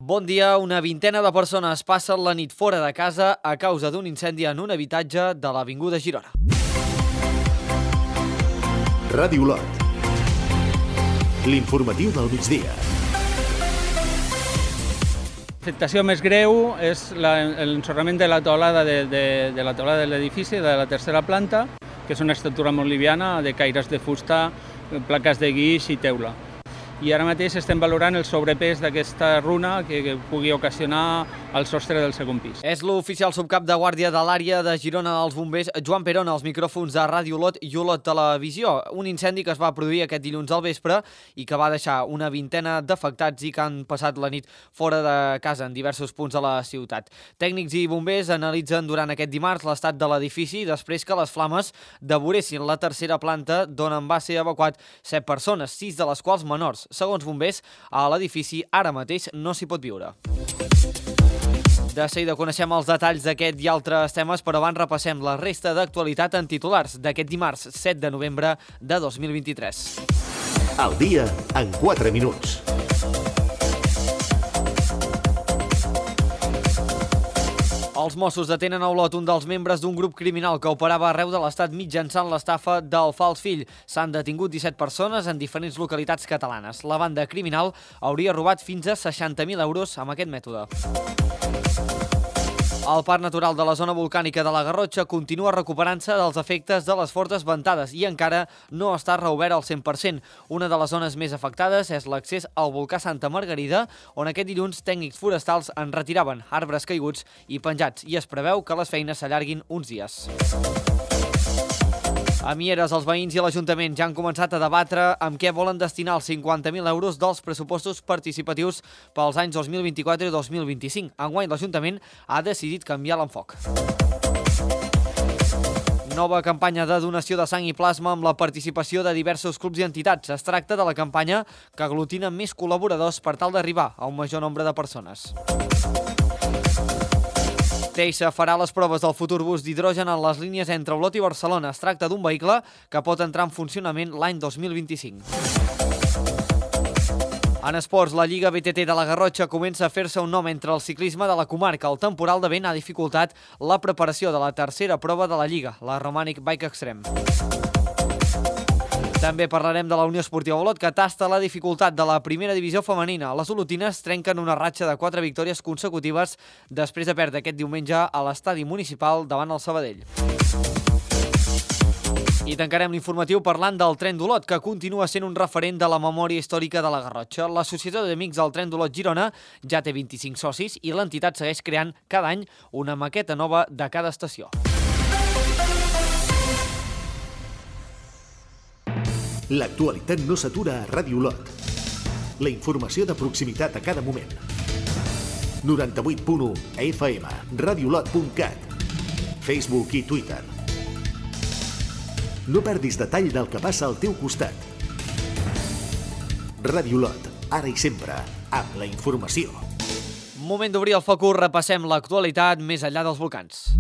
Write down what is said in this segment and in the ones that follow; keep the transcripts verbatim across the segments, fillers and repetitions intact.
Bon dia. Una vintena de persones passen la nit fora de casa a causa d'un incendi en un habitatge de l'Avinguda Girona. Ràdio Olot. L'informatiu del migdia. L'afectació més greu és l'ensorrament de la teulada de, de, de la teulada de l'edifici, de la tercera planta, que és una estructura molt liviana, de caires de fusta, plaques de guix i teula. I ara mateix estem valorant el sobrepès d'aquesta runa que, que pugui ocasionar el sostre del segon pis. És l'oficial subcap de guàrdia de l'àrea de Girona dels bombers, Joan Perón, als micròfons de Ràdio Olot i Olot Televisió. Un incendi que es va produir aquest dilluns al vespre i que va deixar una vintena d'afectats i que han passat la nit fora de casa en diversos punts de la ciutat. Tècnics i bombers analitzen durant aquest dimarts l'estat de l'edifici després que les flames devoressin la tercera planta d'on en va ser evacuat set persones, sis de les quals menors. Segons bombers, a l'edifici ara mateix no s'hi pot viure. De seguida coneixem els detalls d'aquest i altres temes, però abans repassem la resta d'actualitat en titulars d'aquest dimarts set de novembre de dos mil vint-i-tres. Al dia en quatre minuts. Els Mossos detenen a Olot un dels membres d'un grup criminal que operava arreu de l'Estat mitjançant l'estafa del fals fill. S'han detingut disset persones en diferents localitats catalanes. La banda criminal hauria robat fins a seixanta mil euros amb aquest mètode. El Parc Natural de la Zona Volcànica de la Garrotxa continua recuperant-se dels efectes de les fortes ventades i encara no està reobert al cent per cent. Una de les zones més afectades és l'accés al volcà Santa Margarida, on aquest dilluns tècnics forestals en retiraven arbres caiguts i penjats, i es preveu que les feines s'allarguin uns dies. A Mieres, els veïns i l'Ajuntament ja han començat a debatre amb què volen destinar els cinquanta mil euros dels pressupostos participatius pels anys dos mil vint-i-quatre i dos mil vint-i-cinc. Enguany, l'Ajuntament ha decidit canviar l'enfoc. Nova campanya de donació de sang i plasma amb la participació de diversos clubs i entitats. Es tracta de la campanya que aglutina més col·laboradors per tal d'arribar a un major nombre de persones. Teixa farà les proves del futur bus d'hidrogen en les línies entre Olot i Barcelona. Es tracta d'un vehicle que pot entrar en funcionament l'any dos mil vint-i-cinc. En esports, la Lliga B T T de la Garrotxa comença a fer-se un nom entre el ciclisme de la comarca. El temporal de vent ha dificultat la preparació de la tercera prova de la Lliga, la Romanic Bike Extreme. També parlarem de la Unió Esportiva Olot, que tasta la dificultat de la primera divisió femenina. Les olotines trenquen una ratxa de quatre victòries consecutives després de perdre aquest diumenge a l'estadi municipal davant el Sabadell. I tancarem l'informatiu parlant del Tren d'Olot, que continua sent un referent de la memòria històrica de la Garrotxa. L'Associació d'Amics del Tren d'Olot Girona ja té vint-i-cinc socis i l'entitat segueix creant cada any una maqueta nova de cada estació. L'actualitat no s'atura a Ràdio Olot. La informació de proximitat a cada moment. noranta-vuit punt u F M, radiolot punt cat, Facebook i Twitter. No perdis detall del que passa al teu costat. Ràdio Olot, ara i sempre, amb la informació. Moment d'obrir el focus, repassem l'actualitat més enllà dels volcans.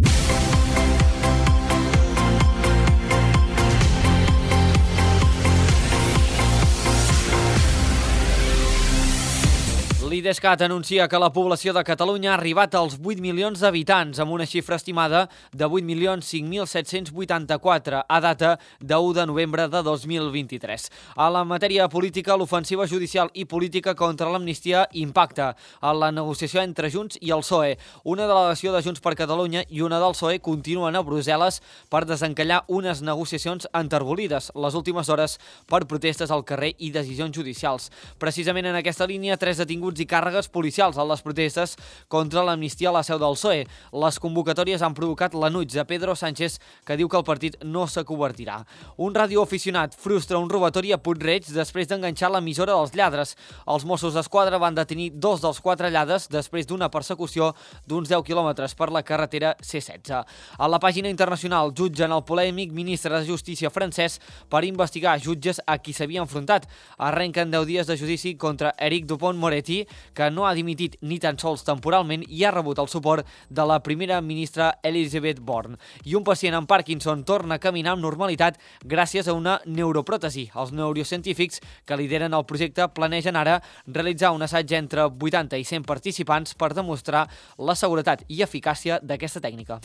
L'Idescat anuncia que la població de Catalunya ha arribat als vuit milions d'habitants, amb una xifra estimada de vuit milions cinc mil set-cents vuitanta-quatre a data d'u de novembre de dos mil vint-i-tres. A la matèria política, l'ofensiva judicial i política contra l'amnistia impacta en la negociació entre Junts i el P S O E. Una delegació de Junts per Catalunya i una del P S O E continuen a Brussel·les per desencallar unes negociacions enterbolides les últimes hores per protestes al carrer i decisions judicials. Precisament en aquesta línia, tres detinguts i càrregues policials a les protestes contra l'amnistia a la seu del P S O E. Les convocatòries han provocat l'enuig de Pedro Sánchez, que diu que el partit no s'acobertirà. Un radioaficionat frustra un robatori a Puig-reig després d'enganxar l'emissora dels lladres. Els Mossos d'Esquadra van detenir dos dels quatre lladres després d'una persecució d'uns deu quilòmetres per la carretera C setze. A la pàgina internacional, jutgen el polèmic ministre de Justícia francès per investigar jutges a qui s'havia enfrontat. Arrenquen deu dies de judici contra Éric Dupont-Moretti, que no ha dimitit ni tan sols temporalment i ha rebut el suport de la primera ministra Elizabeth Bourne. I un pacient amb Parkinson torna a caminar amb normalitat gràcies a una neuropròtesi. Els neurocientífics que lideren el projecte planegen ara realitzar un assaig entre vuitanta i cent participants per demostrar la seguretat i eficàcia d'aquesta tècnica.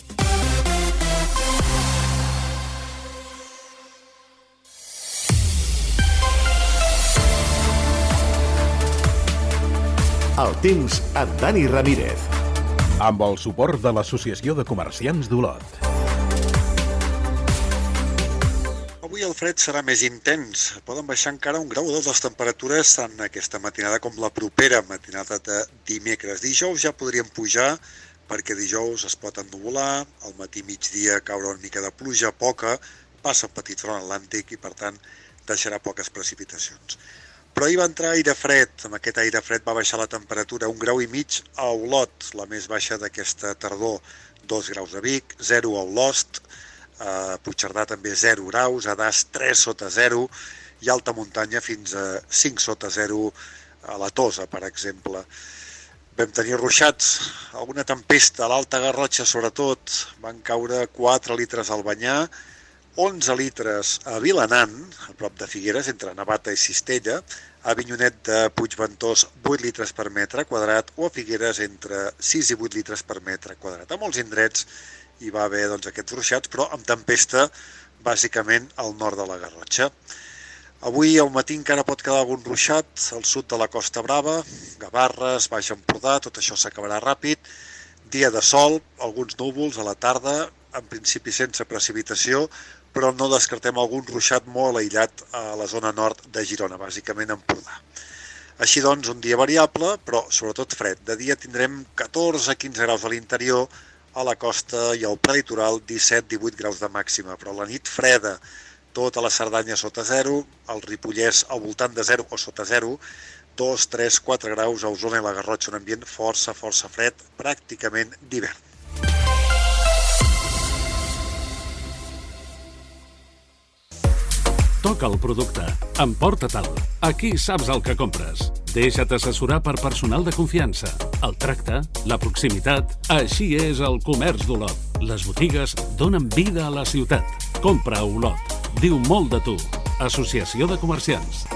El temps amb Dani Ramírez. Amb el suport de l'Associació de Comerciants d'Olot. Avui el fred serà més intens. Poden baixar encara un grau o dos les temperatures tant aquesta matinada com la propera matinada de dimecres. Dijous ja podrien pujar perquè dijous es pot ennuvolar, al matí migdia caure una mica de pluja, poca, passa un petit front atlàntic i per tant deixarà poques precipitacions. Però ahir va entrar aire fred, amb aquest aire fred va baixar la temperatura un grau i mig a Olot, la més baixa d'aquesta tardor, dos graus a Vic, zero a Olost, a Puigcerdà també zero graus, a Das tres sota zero i alta muntanya fins a cinc sota zero a la Tosa, per exemple. Vam tenir ruixats, alguna tempesta a l'Alta Garrotxa sobretot, van caure quatre litres al Banyar, onze litres a Vilanant, a prop de Figueres, entre Navata i Cistella, a Avinyonet de Puigventós vuit litres per metre quadrat o a Figueres entre sis i vuit litres per metre quadrat. A molts indrets hi va haver doncs, aquests ruixats, però amb tempesta bàsicament al nord de la Garrotxa. Avui al matí encara pot quedar algun ruixat al sud de la Costa Brava, Gavarres, Baix Empordà, tot això s'acabarà ràpid. Dia de sol, alguns núvols a la tarda, en principi sense precipitació, però no descartem algun ruixat molt aïllat a la zona nord de Girona, bàsicament Empordà. Així doncs, un dia variable, però sobretot fred. De dia tindrem catorze a quinze graus a l'interior, a la costa i al prelitoral disset a divuit graus de màxima, però la nit freda, tota la Cerdanya sota zero, el Ripollès al voltant de zero o sota zero, dos, tres, quatre graus a Osona i la Garrotxa, un ambient força, força fred, pràcticament d'hivern. Toca el producte. Emporta-te'l. Aquí saps el que compres. Deixa't assessorar per personal de confiança. El tracte, la proximitat... Així és el comerç d'Olot. Les botigues donen vida a la ciutat. Compra a Olot. Diu molt de tu. Associació de Comerciants.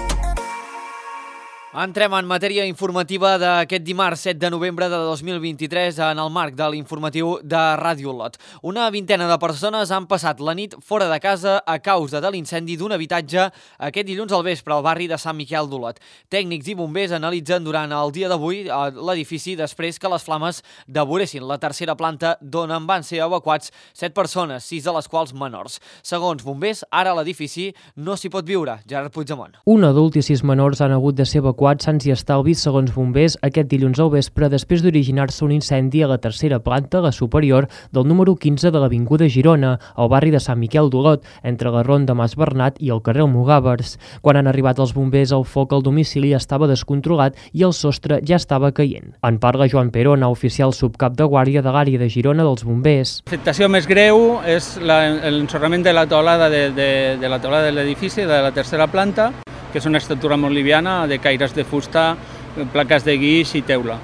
Entrem en matèria informativa d'aquest dimarts set de novembre de dos mil vint-i-tres en el marc de l'informatiu de Ràdio Olot. Una vintena de persones han passat la nit fora de casa a causa de l'incendi d'un habitatge aquest dilluns al vespre al barri de Sant Miquel d'Olot. Tècnics i bombers analitzen durant el dia d'avui l'edifici després que les flames devoressin la tercera planta d'on en van ser evacuats set persones, sis de les quals menors. Segons bombers, ara a l'edifici no s'hi pot viure. Gerard Puigdemont. Un adult i sis menors han hagut de ser evacuats sans i estalvis, segons bombers, aquest dilluns al vespre després d'originar-se un incendi a la tercera planta, la superior, del número quinze de l'Avinguda Girona, al barri de Sant Miquel d'Olot, entre la ronda Mas Bernat i el carrer Almogàvers. Quan han arribat els bombers, el foc al domicili estava descontrolat i el sostre ja estava caient. En parla Joan Perona, oficial subcap de guàrdia de l'àrea de Girona dels bombers. L'afectació més greu és l'ensorrament de la teulada de, de, de la teulada de l'edifici, de la tercera planta, que és una estructura molt liviana, de caires de fusta, plaques de guix i teula.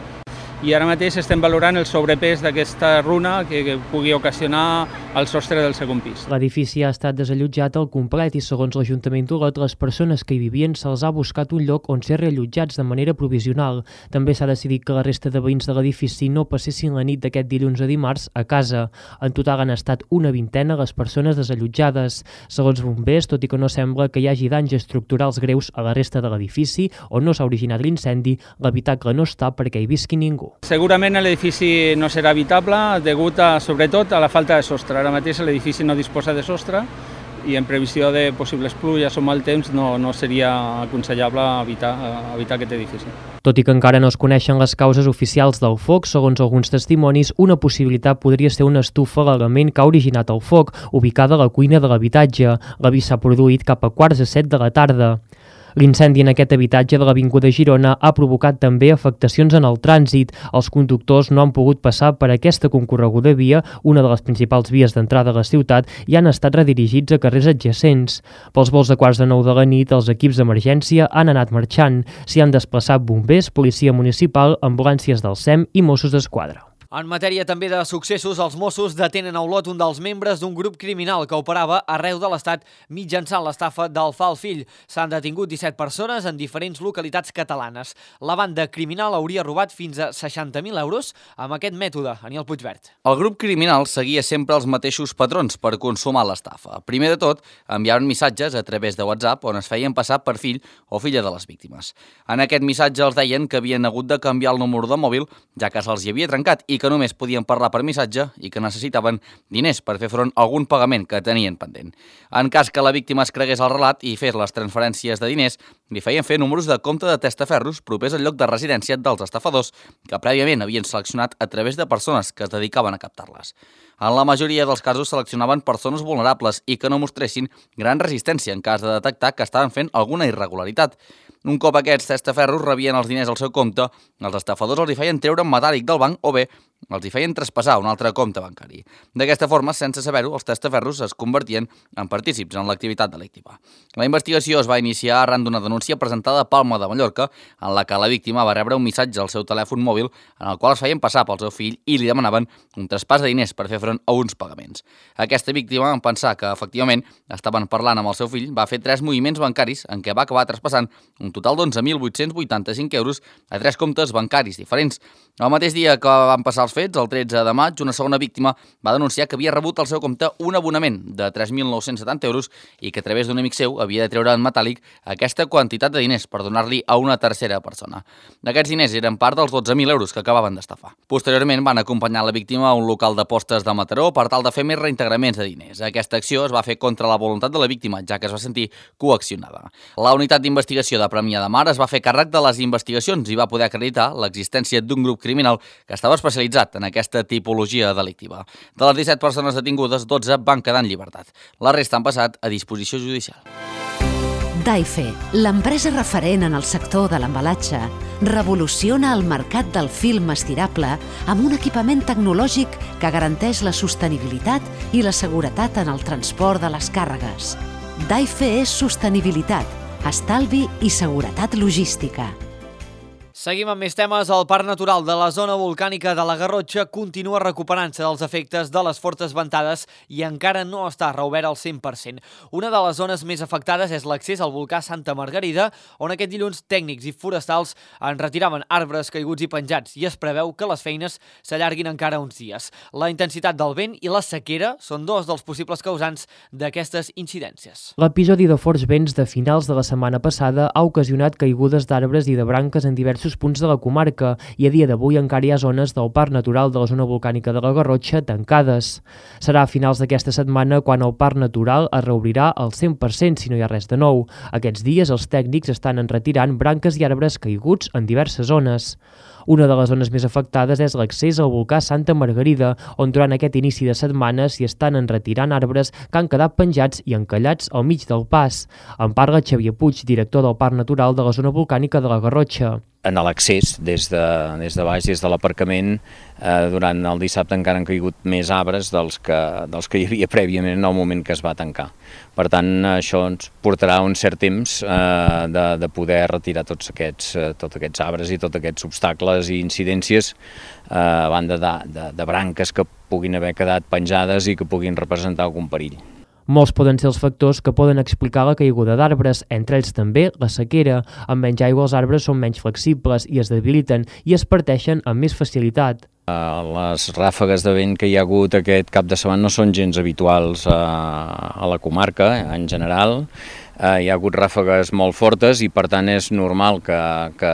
I ara mateix estem valorant el sobrepès d'aquesta runa que, que pugui ocasionar el sostre del segon pis. L'edifici ha estat desallotjat al complet i, segons l'Ajuntament d'Olot, les persones que hi vivien se'ls ha buscat un lloc on ser reallotjats de manera provisional. També s'ha decidit que la resta de veïns de l'edifici no passessin la nit d'aquest dilluns a dimarts a casa. En total han estat una vintena les persones desallotjades. Segons bombers, tot i que no sembla que hi hagi danys estructurals greus a la resta de l'edifici on no s'ha originat l'incendi, l'habitacle no està perquè hi visqui ningú. Segurament l'edifici no serà habitable degut a, sobretot a la falta de sostre. Ara mateix l'edifici no disposa de sostre i en previsió de possibles pluges o mal temps no, no seria aconsellable habitar, habitar aquest edifici. Tot i que encara no es coneixen les causes oficials del foc, segons alguns testimonis, una possibilitat podria ser una estufa a l'element que ha originat el foc, ubicada a la cuina de l'habitatge. L'avís s'ha produït cap a quarts de set de la tarda. L'incendi en aquest habitatge de l'Avinguda Girona ha provocat també afectacions en el trànsit. Els conductors no han pogut passar per aquesta concorreguda via, una de les principals vies d'entrada a la ciutat, i han estat redirigits a carrers adjacents. Pels vols de quarts de nou de la nit, els equips d'emergència han anat marxant. S'hi han desplaçat bombers, policia municipal, ambulàncies del S E M i Mossos d'Esquadra. En matèria també de successos, els Mossos detenen a Olot un dels membres d'un grup criminal que operava arreu de l'Estat mitjançant l'estafa del fa el fill. S'han detingut disset persones en diferents localitats catalanes. La banda criminal hauria robat fins a seixanta mil euros amb aquest mètode. Aniel Puigvert. El grup criminal seguia sempre els mateixos patrons per consumar l'estafa. Primer de tot, enviaven missatges a través de WhatsApp on es feien passar per fill o filla de les víctimes. En aquest missatge els deien que havien hagut de canviar el número de mòbil, ja que se'ls hi havia trencat i que que només podien parlar per missatge i que necessitaven diners per fer front a algun pagament que tenien pendent. En cas que la víctima es cregués al relat i fes les transferències de diners, li feien fer números de compte de testaferros propers al lloc de residència dels estafadors que prèviament havien seleccionat a través de persones que es dedicaven a captar-les. En la majoria dels casos seleccionaven persones vulnerables i que no mostressin gran resistència en cas de detectar que estaven fent alguna irregularitat. Un cop aquests testaferros rebien els diners al seu compte, els estafadors els hi feien treure en metàl·lic del banc o bé els hi feien traspassar un altre compte bancari. D'aquesta forma, sense saber-ho, els testaferros es convertien en partícips en l'activitat delictiva. La investigació es va iniciar arran d'una denúncia presentada a Palma de Mallorca, en la que la víctima va rebre un missatge al seu telèfon mòbil en el qual es feien passar pel seu fill i li demanaven un traspàs de diners per fer front a uns pagaments. Aquesta víctima, en pensar que efectivament estaven parlant amb el seu fill, va fer tres moviments bancaris en què va acabar traspassant un total d'onze mil vuit-cents vuitanta-cinc euros a tres comptes bancaris diferents. El mateix dia que van passar els fets, el tretze de maig, una segona víctima va denunciar que havia rebut al seu compte un abonament de tres mil nou-cents setanta euros i que a través d'un amic seu havia de treure en metàl·lic aquesta quantitat de diners per donar-li a una tercera persona. Aquests diners eren part dels dotze mil euros que acabaven d'estafar. Posteriorment van acompanyar la víctima a un local d'apostes de Mataró per tal de fer més reintegraments de diners. Aquesta acció es va fer contra la voluntat de la víctima, ja que es va sentir coaccionada. La unitat d'investigació de Premià de Mar es va fer càrrec de les investigacions i va poder acreditar l'existència d'un grup criminal que estava especialitzat en aquesta tipologia delictiva. De les disset persones detingudes, dotze van quedar en llibertat. La resta han passat a disposició judicial. Daife, l'empresa referent en el sector de l'embalatge, revoluciona el mercat del film estirable amb un equipament tecnològic que garanteix la sostenibilitat i la seguretat en el transport de les càrregues. Daife és sostenibilitat, estalvi i seguretat logística. Seguim amb més temes. El Parc Natural de la zona volcànica de la Garrotxa continua recuperant-se dels efectes de les fortes ventades i encara no està reobert al cent per cent. Una de les zones més afectades és l'accés al volcà Santa Margarida, on aquest dilluns tècnics i forestals en retiraven arbres caiguts i penjats i es preveu que les feines s'allarguin encara uns dies. La intensitat del vent i la sequera són dos dels possibles causants d'aquestes incidències. L'episodi de forts vents de finals de la setmana passada ha ocasionat caigudes d'arbres i de branques en diversos punts de la comarca i a dia d'avui encara hi ha zones del Parc Natural de la zona volcànica de la Garrotxa tancades. Serà a finals d'aquesta setmana quan el Parc Natural es reobrirà al cent per cent si no hi ha res de nou. Aquests dies els tècnics estan enretirant branques i arbres caiguts en diverses zones. Una de les zones més afectades és l'accés al volcà Santa Margarida, on durant aquest inici de setmana s'hi estan enretirant arbres que han quedat penjats i encallats al mig del pas. En parla Xavier Puig, director del Parc Natural de la zona volcànica de la Garrotxa. En l'accés, des de, des de baix, des de l'aparcament, eh, durant el dissabte encara han caigut més arbres dels que, dels que hi havia prèviament en el moment que es va tancar. Per tant, això ens portarà un cert temps eh, de, de poder retirar tots aquests, eh, tots aquests arbres i tots aquests obstacles i incidències eh, a banda de, de, de branques que puguin haver quedat penjades i que puguin representar algun perill. Molts poden ser els factors que poden explicar la caiguda d'arbres, entre ells també la sequera. Amb menys aigua els arbres són menys flexibles i es debiliten i es parteixen amb més facilitat. Les ràfegues de vent que hi ha hagut aquest cap de setmana no són gens habituals a la comarca en general. Hi ha hagut ràfegues molt fortes i per tant és normal que, que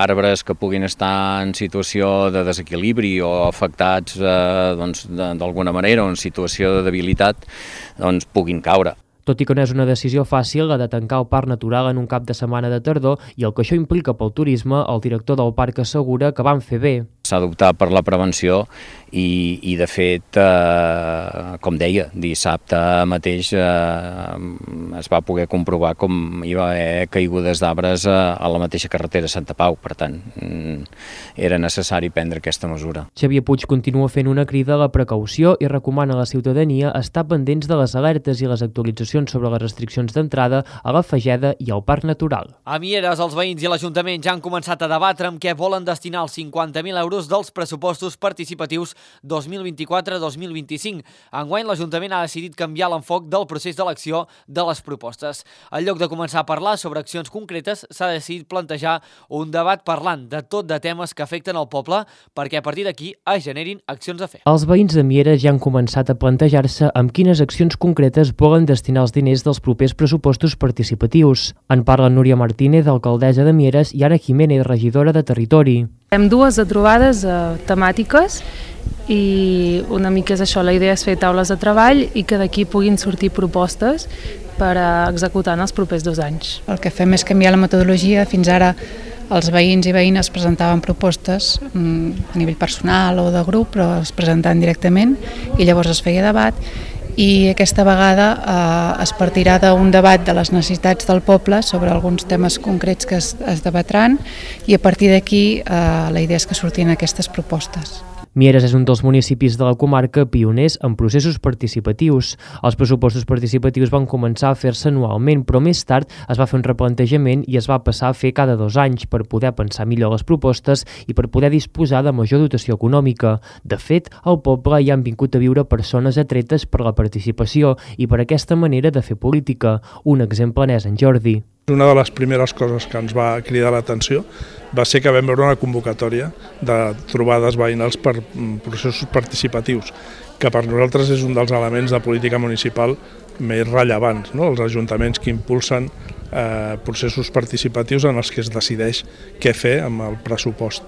arbres que puguin estar en situació de desequilibri o afectats eh, doncs, d'alguna manera o en situació de debilitat doncs, puguin caure. Tot i que no és una decisió fàcil la de tancar el parc natural en un cap de setmana de tardor i el que això implica pel turisme, el director del parc assegura que van fer bé. S'ha d'optar per la prevenció i, i de fet, eh, com deia, dissabte mateix eh, es va poder comprovar com hi va haver caigudes d'arbres a, a la mateixa carretera Santa Pau. Per tant, era necessari prendre aquesta mesura. Xavier Puig continua fent una crida a la precaució i recomana a la ciutadania estar pendents de les alertes i les actualitzacions sobre les restriccions d'entrada a la Fageda i al Parc Natural. A Mieres, els veïns i l'Ajuntament ja han començat a debatre amb què volen destinar els cinquanta mil euros dels pressupostos participatius dos mil vint-i-quatre dos mil vint-i-cinc. Enguany, l'Ajuntament ha decidit canviar l'enfoc del procés d'elecció de les propostes. En lloc de començar a parlar sobre accions concretes, s'ha decidit plantejar un debat parlant de tot de temes que afecten el poble perquè a partir d'aquí es generin accions a fer. Els veïns de Mieres ja han començat a plantejar-se amb quines accions concretes volen destinar els diners dels propers pressupostos participatius. En parla Núria Martínez, alcaldessa de Mieres, i Anna Jiménez, regidora de Territori. Hem dues trobades eh, temàtiques i una mica és això, la idea és fer taules de treball i que d'aquí puguin sortir propostes per a executar en els propers dos anys. El que fem és canviar la metodologia. Fins ara els veïns i veïnes presentaven propostes a nivell personal o de grup, però es presentaven directament i llavors es feia debat. I aquesta vegada eh, es partirà d'un debat de les necessitats del poble sobre alguns temes concrets que es, es debatran i a partir d'aquí eh, la idea és que surtin aquestes propostes. Mieres és un dels municipis de la comarca pioners en processos participatius. Els pressupostos participatius van començar a fer-se anualment, però més tard es va fer un replantejament i es va passar a fer cada dos anys per poder pensar millor les propostes i per poder disposar de major dotació econòmica. De fet, al poble hi han vingut a viure persones atretes per la participació i per aquesta manera de fer política. Un exemple n'és en Jordi. Una de les primeres coses que ens va cridar l'atenció va ser que vam veure una convocatòria de trobades veïnals per processos participatius, que per nosaltres és un dels elements de política municipal més rellevants, no? Els ajuntaments que impulsen eh, processos participatius en els que es decideix què fer amb el pressupost.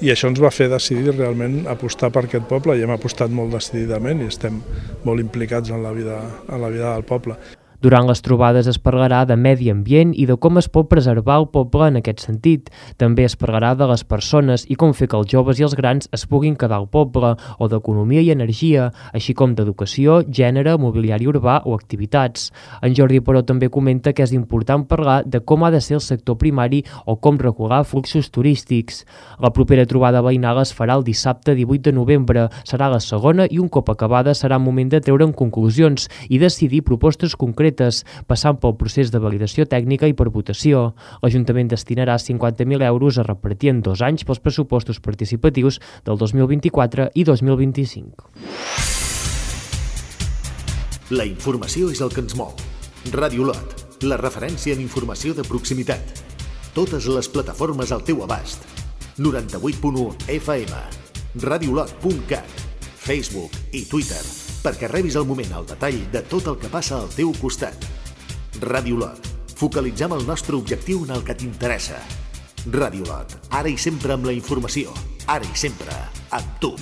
I això ens va fer decidir realment apostar per aquest poble i hem apostat molt decididament i estem molt implicats en la vida, en la vida del poble. Durant les trobades es parlarà de medi ambient i de com es pot preservar el poble en aquest sentit. També es parlarà de les persones i com fer que els joves i els grans es puguin quedar al poble, o d'economia i energia, així com d'educació, gènere, mobiliari urbà o activitats. En Jordi, però, també comenta que és important parlar de com ha de ser el sector primari o com regular fluxos turístics. La propera trobada veïnal es farà el dissabte divuit de novembre. Serà la segona i un cop acabada serà moment de treure'n conclusions i decidir propostes concretes passant pel procés de validació tècnica i per votació. L'Ajuntament destinarà cinquanta mil euros a repartir en dos anys pels pressupostos participatius del dos mil vint-i-quatre i dos mil vint-i-cinc. La informació és el que ens mou. Ràdio Lot, la referència en informació de proximitat. Totes les plataformes al teu abast. noranta-vuit punt u F M, radiolot punt cat, Facebook i Twitter, perquè rebis al moment el detall de tot el que passa al teu costat. Ràdio Lot. Focalitzem el nostre objectiu en el que t'interessa. Ràdio Lot. Ara i sempre amb la informació. Ara i sempre amb tu.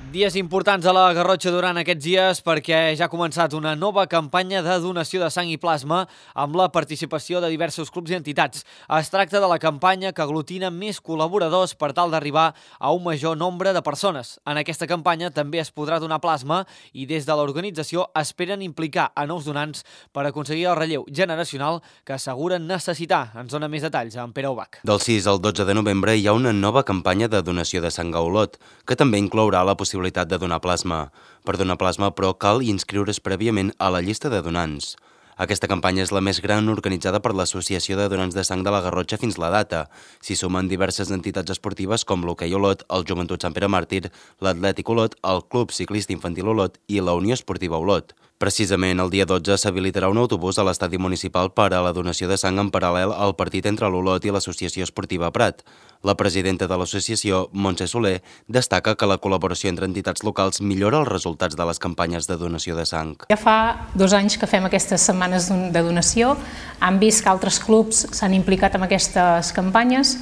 Dies importants a la Garrotxa durant aquests dies perquè ja ha començat una nova campanya de donació de sang i plasma amb la participació de diversos clubs i entitats. Es tracta de la campanya que aglutina més col·laboradors per tal d'arribar a un major nombre de persones. En aquesta campanya també es podrà donar plasma i des de l'organització esperen implicar a nous donants per aconseguir el relleu generacional que asseguren necessitar. Ens dona més detalls en Pere Ubach. Del sis al dotze de novembre hi ha una nova campanya de donació de sang a Olot, que també inclourà la possibilitat de donar plasma. Per donar plasma, però, cal inscriure's prèviament a la llista de donants. Aquesta campanya és la més gran organitzada per l'Associació de Donants de Sang de la Garrotxa fins la data. S'hi sumen diverses entitats esportives com l'Hoquei Olot, el Joventut Sant Pere Màrtir, l'Atlètic Olot, el Club Ciclista Infantil Olot i la Unió Esportiva Olot. Precisament el dia dotze s'habilitarà un autobús a l'estadi municipal per a la donació de sang en paral·lel al partit entre l'Olot i l'Associació Esportiva Prat. La presidenta de l'associació, Montse Soler, destaca que la col·laboració entre entitats locals millora els resultats de les campanyes de donació de sang. Ja fa dos anys que fem aquestes setmanes de donació, han vist que altres clubs s'han implicat en aquestes campanyes.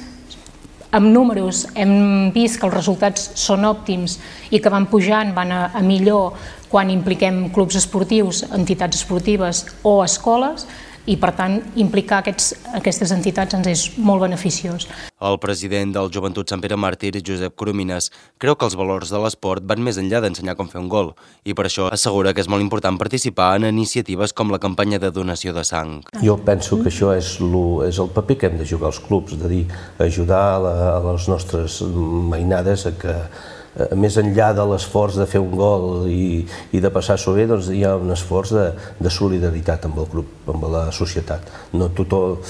Amb números hem vist que els resultats són òptims i que van pujant, van a, a millor quan impliquem clubs esportius, entitats esportives o escoles, i per tant implicar aquests, aquestes entitats ens és molt beneficiós. El president del Joventut Sant Pere Màrtir, Josep Coromines, creu que els valors de l'esport van més enllà d'ensenyar com fer un gol i per això assegura que és molt important participar en iniciatives com la campanya de donació de sang. Jo penso que això és, lo, és el paper que hem de jugar als clubs, de dir, ajudar a, la, a les nostres mainades a que més enllà de l'esforç de fer un gol i, i de passar-s'ho bé, doncs hi ha un esforç de, de solidaritat amb el grup, amb la societat. No tothom,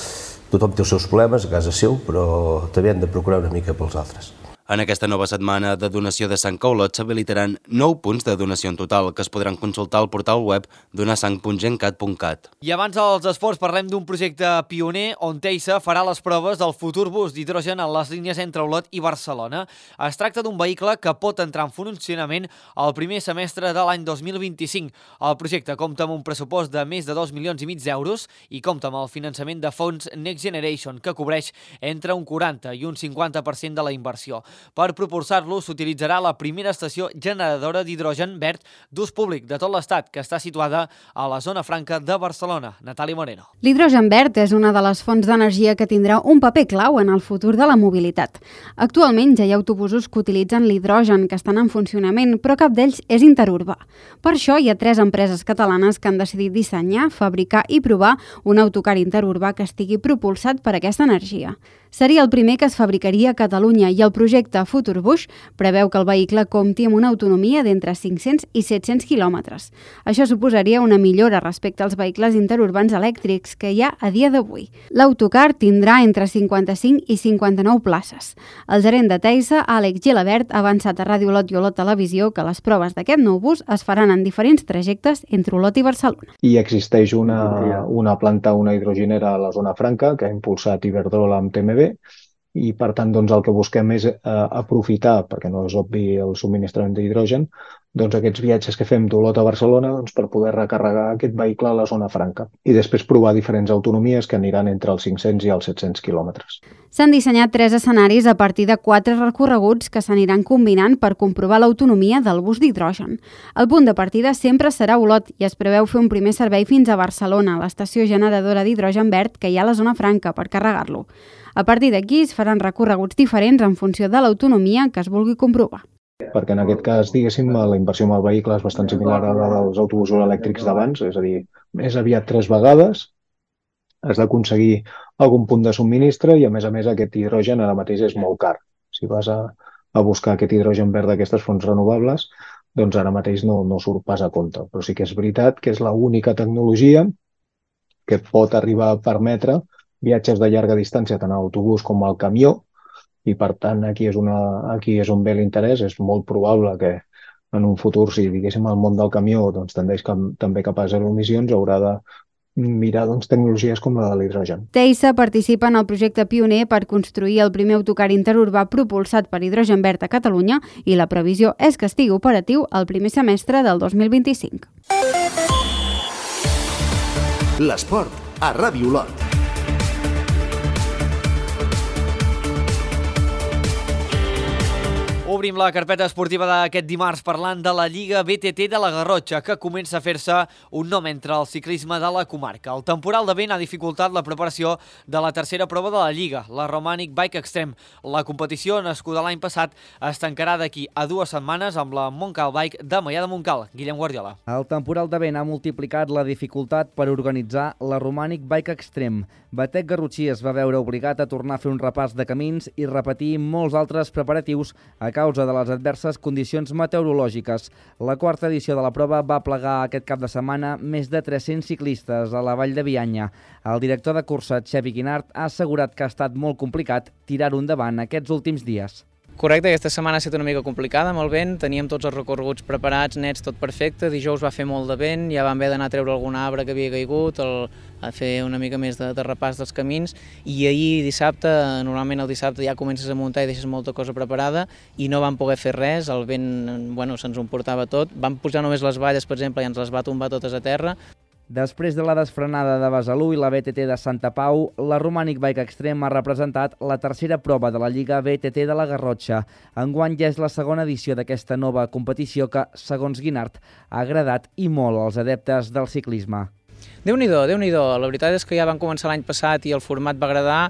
tothom té els seus problemes a casa seu, però també hem de procurar una mica pels altres. En aquesta nova setmana de donació de sang a Olot s'habilitaran nou punts de donació en total que es podran consultar al portal web donasang punt gencat punt cat. I abans dels esports parlem d'un projecte pioner on Teisa farà les proves del futur bus d'hidrogen en les línies entre Olot i Barcelona. Es tracta d'un vehicle que pot entrar en funcionament el primer semestre de l'any dos mil vint-i-cinc. El projecte compta amb un pressupost de més de dos milions i mig d'euros i compta amb el finançament de fons Next Generation, que cobreix entre un quaranta i un cinquanta per cent de la inversió. Per propulsar-lo s'utilitzarà la primera estació generadora d'hidrogen verd d'ús públic de tot l'Estat, que està situada a la zona franca de Barcelona. Natàlia Moreno. L'hidrogen verd és una de les fonts d'energia que tindrà un paper clau en el futur de la mobilitat. Actualment ja hi ha autobusos que utilitzen l'hidrogen, que estan en funcionament, però cap d'ells és interurbà. Per això hi ha tres empreses catalanes que han decidit dissenyar, fabricar i provar un autocar interurbà que estigui propulsat per aquesta energia. Seria el primer que es fabricaria a Catalunya i el projecte Futurbus preveu que el vehicle compti amb una autonomia d'entre cinc-cents i set-cents quilòmetres. Això suposaria una millora respecte als vehicles interurbans elèctrics que hi ha a dia d'avui. L'autocar tindrà entre cinquanta-cinc i cinquanta-nou places. El gerent de Teisa, Àlex Gilabert, ha avançat a Ràdio Olot i Olot Televisió que les proves d'aquest nou bus es faran en diferents trajectes entre Olot i Barcelona. I existeix una, una planta, una hidrogenera a la zona franca que ha impulsat Iberdrola amb T M B i per tant doncs, el que busquem és eh, aprofitar, perquè no és obvi el subministrament d'hidrogen, doncs, aquests viatges que fem d'Olot a Barcelona doncs, per poder recarregar aquest vehicle a la zona franca i després provar diferents autonomies que aniran entre els cinc-cents i els set-cents quilòmetres. S'han dissenyat tres escenaris a partir de quatre recorreguts que s'aniran combinant per comprovar l'autonomia del bus d'hidrogen. El punt de partida sempre serà Olot i es preveu fer un primer servei fins a Barcelona, a l'estació generadora d'hidrogen verd que hi ha a la zona franca per carregar-lo. A partir d'aquí es faran recorreguts diferents en funció de l'autonomia que es vulgui comprovar. Perquè en aquest cas, diguéssim, la inversió en el vehicle és bastant similar a la dels autobusos elèctrics d'abans, és a dir, més aviat tres vegades, has d'aconseguir algun punt de subministre i a més a més aquest hidrogen ara mateix és molt car. Si vas a, a buscar aquest hidrogen verd d'aquestes fonts renovables, doncs ara mateix no, no surt pas a compte. Però sí que és veritat que és l'única tecnologia que pot arribar a permetre viatges de llarga distància tant a autobús com al camió i per tant aquí és, una, aquí és on ve l'interès. És molt probable que en un futur, si diguéssim el món del camió doncs, tendeix cap, també cap a zero emissions, haurà de mirar doncs, tecnologies com la de l'hidrogen. Teisa participa en el projecte pioner per construir el primer autocar interurbà propulsat per hidrogen verd a Catalunya i la previsió és que estigui operatiu el primer semestre del dos mil vint-i-cinc. L'esport a Ràdio Olot. Obrim la carpeta esportiva d'aquest dimarts parlant de la Lliga B T T de la Garrotxa, que comença a fer-se un nom entre el ciclisme de la comarca. El temporal de vent ha dificultat la preparació de la tercera prova de la Lliga, la Romanic Bike Extreme. La competició, nascuda l'any passat, es tancarà d'aquí a dues setmanes amb la Montcal Bike de Maià de Montcal. Guillem Guardiola. El temporal de vent ha multiplicat la dificultat per organitzar la Romanic Bike Extreme. Batec Garrotxí es va veure obligat a tornar a fer un repàs de camins i repetir molts altres preparatius a causa de les adverses condicions meteorològiques. La quarta edició de la prova va plegar aquest cap de setmana més de tres-cents ciclistes a la Vall de Bianya. El director de cursa, Xevi Guinart, ha assegurat que ha estat molt complicat tirar-ho endavant aquests últims dies. Correcte, aquesta setmana ha estat una mica complicada amb el vent, teníem tots els recorreguts preparats, nets, tot perfecte, dijous va fer molt de vent, ja vam haver d'anar a treure algun arbre que havia caigut, el, a fer una mica més de, de repàs dels camins, i ahir dissabte, normalment el dissabte ja comences a muntar i deixes molta cosa preparada i no vam poder fer res, el vent bueno, se'ns ho emportava tot, vam pujar només les valles, per exemple, i ens les va tombar totes a terra. Després de la desfrenada de Besalú i la B T T de Santa Pau, la Romanic Bike Extreme ha representat la tercera prova de la Lliga B T T de la Garrotxa. Enguany ja és la segona edició d'aquesta nova competició que, segons Guinart, ha agradat i molt als adeptes del ciclisme. Déu-n'hi-do, Déu-n'hi-do. La veritat és que ja van començar l'any passat i el format va agradar,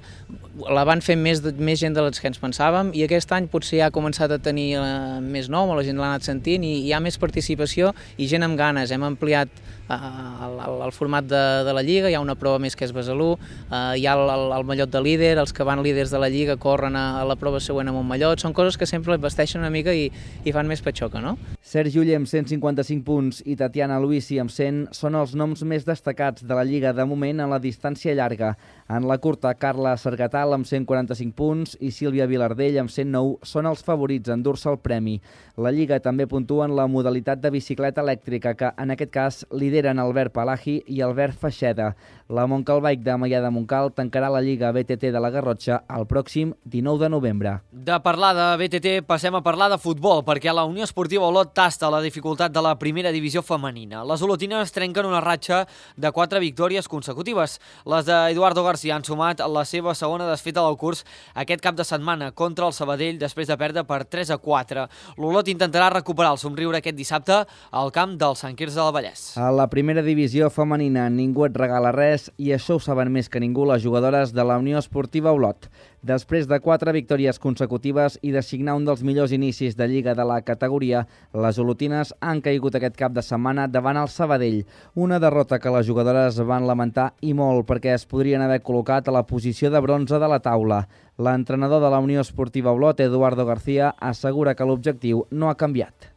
la van fer més, més gent de les que ens pensàvem i aquest any potser ja ha començat a tenir eh, més nom, la gent l'ha anat sentint i hi ha més participació i gent amb ganes. Hem ampliat eh, el, el, el format de, de la Lliga, hi ha una prova més que és Besalú, eh, hi ha el, el, el mallot de líder, els que van líders de la Lliga corren a, a la prova següent amb un mallot, són coses que sempre vesteixen una mica i, i fan més patxoca, no? Sergi Uller amb cent cinquanta-cinc punts i Tatiana Luisi amb cent són els noms més destacats de la Lliga de moment en la distància llarga. En la curta, Carla Sargatal amb cent quaranta-cinc punts i Sílvia Vilardell amb cent nou són els favorits a endur-se el premi. La Lliga també puntua en la modalitat de bicicleta elèctrica, que en aquest cas lideren Albert Palagi i Albert Feixeda. La Montcal Bike de Maià de Montcal tancarà la Lliga B T T de la Garrotxa el pròxim dinou de novembre. De parlar de B T T passem a parlar de futbol, perquè la Unió Esportiva Olot tasta la dificultat de la primera divisió femenina. Les olotines trenquen una ratxa de quatre victòries consecutives. Les d'Eduardo García han sumat la seva segona desfeta del curs aquest cap de setmana contra el Sabadell després de perdre per tres a quatre. L'Olot intentarà recuperar el somriure aquest dissabte al camp del Sant Quirze del Vallès. A la primera divisió femenina ningú et regala res i això ho saben més que ningú les jugadores de la Unió Esportiva Olot. Després de quatre victòries consecutives i de signar un dels millors inicis de Lliga de la categoria, les olotines han caigut aquest cap de setmana davant el Sabadell. Una derrota que les jugadores van lamentar i molt perquè es podrien haver col·locat a la posició de bronze de la taula. L'entrenador de la Unió Esportiva Olot, Eduardo García, assegura que l'objectiu no ha canviat.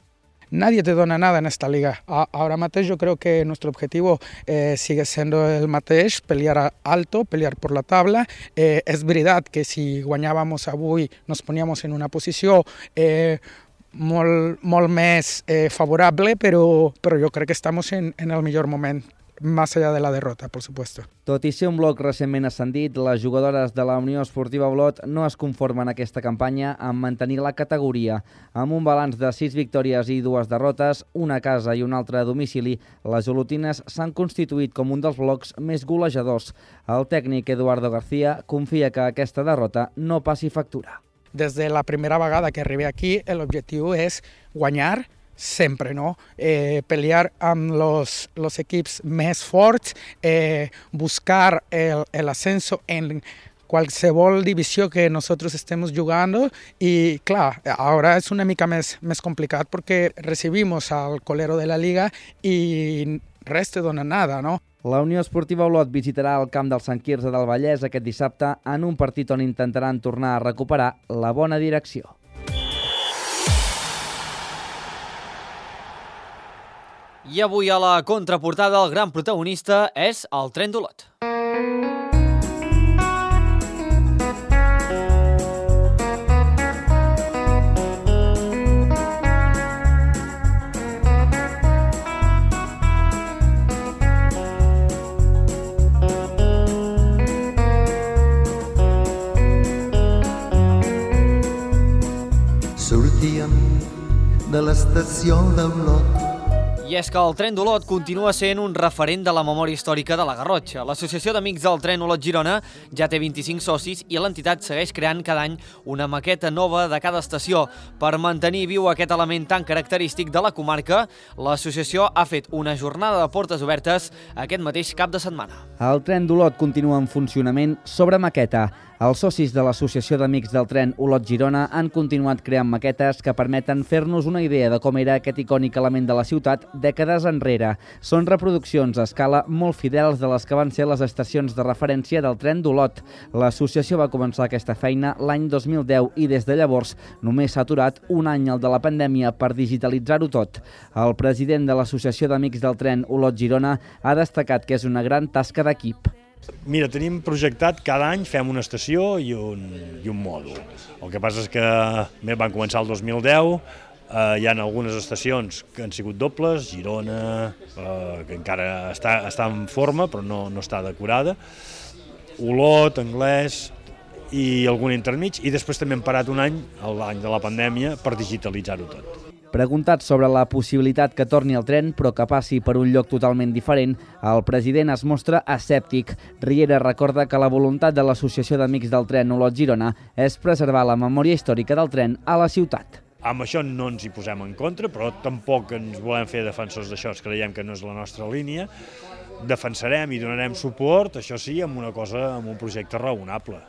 Nadie te dona nada en esta liga. Ahora mateix yo creo que nuestro objetivo eh, sigue siendo el mateix, pelear alto, pelear por la tabla. Eh, és veritat que si guanyàvamos avui nos poníamos en una posició eh, molt, molt més eh, favorable, però, però jo crec que estamos en, en el millor moment. Más allá de la derrota, por supuesto. Tot i ser un bloc recentment ascendit, les jugadores de la Unió Esportiva Olot no es conformen aquesta campanya amb mantenir la categoria. Amb un balanç de sis victòries i dues derrotes, una a casa i una altra a domicili, les olotines s'han constituït com un dels blocs més golejadors. El tècnic Eduardo García confia que aquesta derrota no passi factura. Des de la primera vegada que arribé aquí, l'objectiu és guanyar sempre, no? Eh, pelear amb los, los equips més forts, eh, buscar el, el ascenso en qualsevol divisió que nosotros estemos jugando y clar, ahora es una mica més, més complicat perquè recibimos al colero de la liga i res te dona nada, no? La Unió Esportiva Olot visitarà el camp del Sant Quirze del Vallès aquest dissabte en un partit on intentaran tornar a recuperar la bona direcció. I avui a la contraportada el gran protagonista és el tren d'Olot. Sortíem de l'estació d'Olot. I és que el tren d'Olot continua sent un referent de la memòria històrica de la Garrotxa. L'Associació d'Amics del Tren Olot Girona ja té vint-i-cinc socis i l'entitat segueix creant cada any una maqueta nova de cada estació. Per mantenir viu aquest element tan característic de la comarca, l'associació ha fet una jornada de portes obertes aquest mateix cap de setmana. El tren d'Olot continua en funcionament sobre maqueta. Els socis de l'Associació d'Amics del Tren Olot Girona han continuat creant maquetes que permeten fer-nos una idea de com era aquest icònic element de la ciutat dècades enrere. Són reproduccions a escala molt fidels de les que van ser les estacions de referència del tren d'Olot. L'associació va començar aquesta feina l'any dos mil deu i des de llavors només s'ha aturat un any el de la pandèmia per digitalitzar-ho tot. El president de l'Associació d'Amics del Tren Olot Girona ha destacat que és una gran tasca d'equip. Mira, tenim projectat cada any fem una estació i un, i un mòdul. El que passa és que bé, van començar el dos mil deu, eh, hi ha algunes estacions que han sigut dobles, Girona, eh, que encara està, està en forma però no, no està decorada, Olot, Anglès i algun intermig, i després també hem parat un any, l'any de la pandèmia, per digitalitzar-ho tot. Preguntat sobre la possibilitat que torni el tren, però que passi per un lloc totalment diferent, el president es mostra escèptic. Riera recorda que la voluntat de l'Associació d'Amics del Tren Olot Girona és preservar la memòria històrica del tren a la ciutat. Amb això no ens hi posem en contra, però tampoc ens volem fer defensors d'això, creiem que no és la nostra línia. defensarem i donarem suport, això sí, amb una cosa, amb un projecte raonable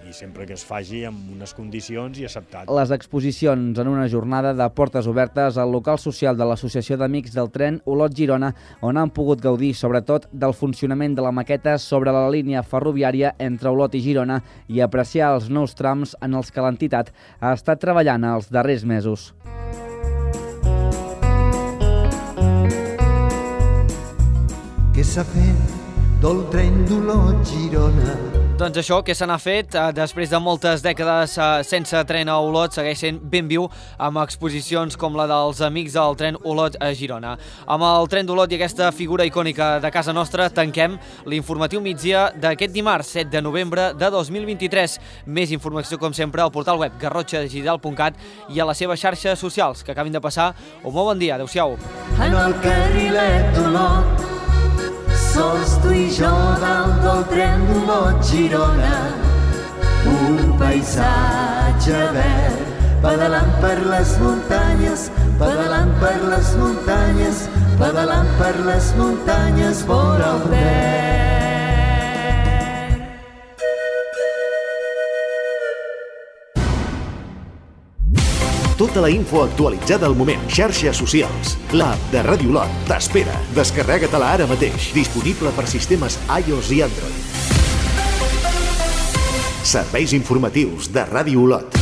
i sempre que es faci amb unes condicions i acceptat. Les exposicions en una jornada de portes obertes al local social de l'Associació d'Amics del Tren Olot-Girona, on han pogut gaudir sobretot del funcionament de la maqueta sobre la línia ferroviària entre Olot i Girona i apreciar els nous trams en els que l'entitat ha estat treballant els darrers mesos. Què s'ha fet del tren d'Olot-Girona? Doncs això, que se n'ha fet eh, després de moltes dècades eh, sense tren a Olot, segueix sent ben viu amb exposicions com la dels amics del tren Olot a Girona. Amb el tren d'Olot i aquesta figura icònica de casa nostra tanquem l'informatiu migdia d'aquest dimarts, set de novembre de dos mil vint-i-tres. Més informació, com sempre, al portal web garrotxa digital punt cat i a les seves xarxes socials. Que acabin de passar un molt bon dia. Adéu-siau. En el carrilet d'Olot, sols tu i jo dalt del tren d'Olot-Girona, un paisatge verd, pedalant per les muntanyes, pedalant per les muntanyes, pedalant per les muntanyes vora el verd. Tota la info actualitzada al moment. Xarxes socials. L'app de Ràdio Olot t'espera. Descarrega-te-la ara mateix. Disponible per sistemes iOS i Android. Serveis informatius de Ràdio Olot.